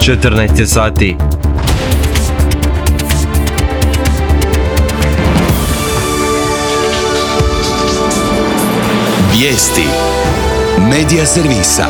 14 je sati. Vijesti Medija servisa.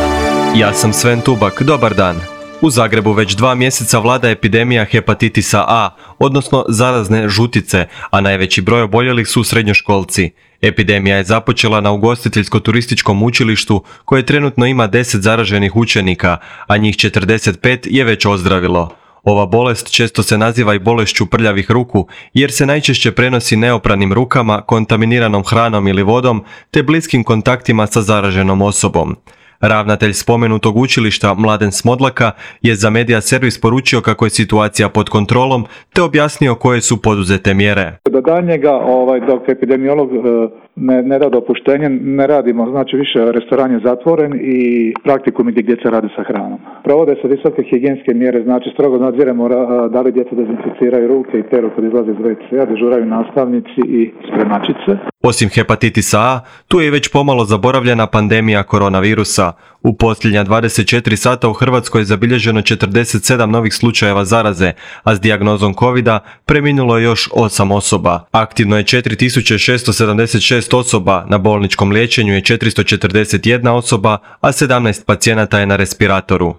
Ja sam Sven Tubak, dobar dan. U Zagrebu već 2 mjeseca vlada epidemija hepatitisa A, odnosno zarazne žutice, a najveći broj oboljelih su srednjoškolci. Epidemija je započela na ugostiteljsko-turističkom učilištu koje trenutno ima 10 zaraženih učenika, a njih 45 je već ozdravilo. Ova bolest često se naziva i bolešću prljavih ruku, jer se najčešće prenosi neopranim rukama, kontaminiranom hranom ili vodom, te bliskim kontaktima sa zaraženom osobom. Ravnatelj spomenutog učilišta Mladen Smodlaka je za Medija servis poručio kako je situacija pod kontrolom, te objasnio koje su poduzete mjere. Do daljnjega, dok epidemiolog ne da dopuštenje, ne radimo, znači više restoran je zatvoren i praktikumi gdje djeca rade sa hranom. Provode se visoke higijenske mjere, znači strogo nadziremo da li djeca dezinficiraju ruke i peru kad izlaze iz WC-a, dežuraju nastavnici i spremačice. Osim hepatitisa A, tu je i već pomalo zaboravljena pandemija koronavirusa. U posljednja 24 sata u Hrvatskoj je zabilježeno 47 novih slučajeva zaraze, a s dijagnozom covida preminulo je još 8 osoba. Aktivno je 4676 osoba, na bolničkom liječenju je 441 osoba, a 17 pacijenata je na respiratoru.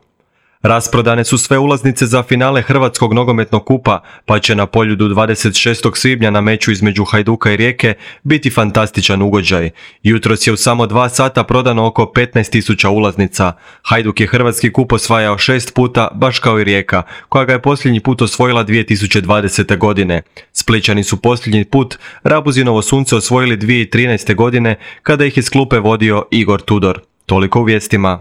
Rasprodane su sve ulaznice za finale Hrvatskog nogometnog kupa, pa će na Poljudu 26. svibnja na meču između Hajduka i Rijeke biti fantastičan ugođaj. Jutros je u samo 2 sata prodano oko 15.000 ulaznica. Hajduk je Hrvatski kup osvajao 6 puta, baš kao i Rijeka, koja ga je posljednji put osvojila 2020. godine. Splićani su posljednji put Rabuzinovo sunce osvojili 2013. godine, kada ih iz klupe vodio Igor Tudor. Toliko u vijestima.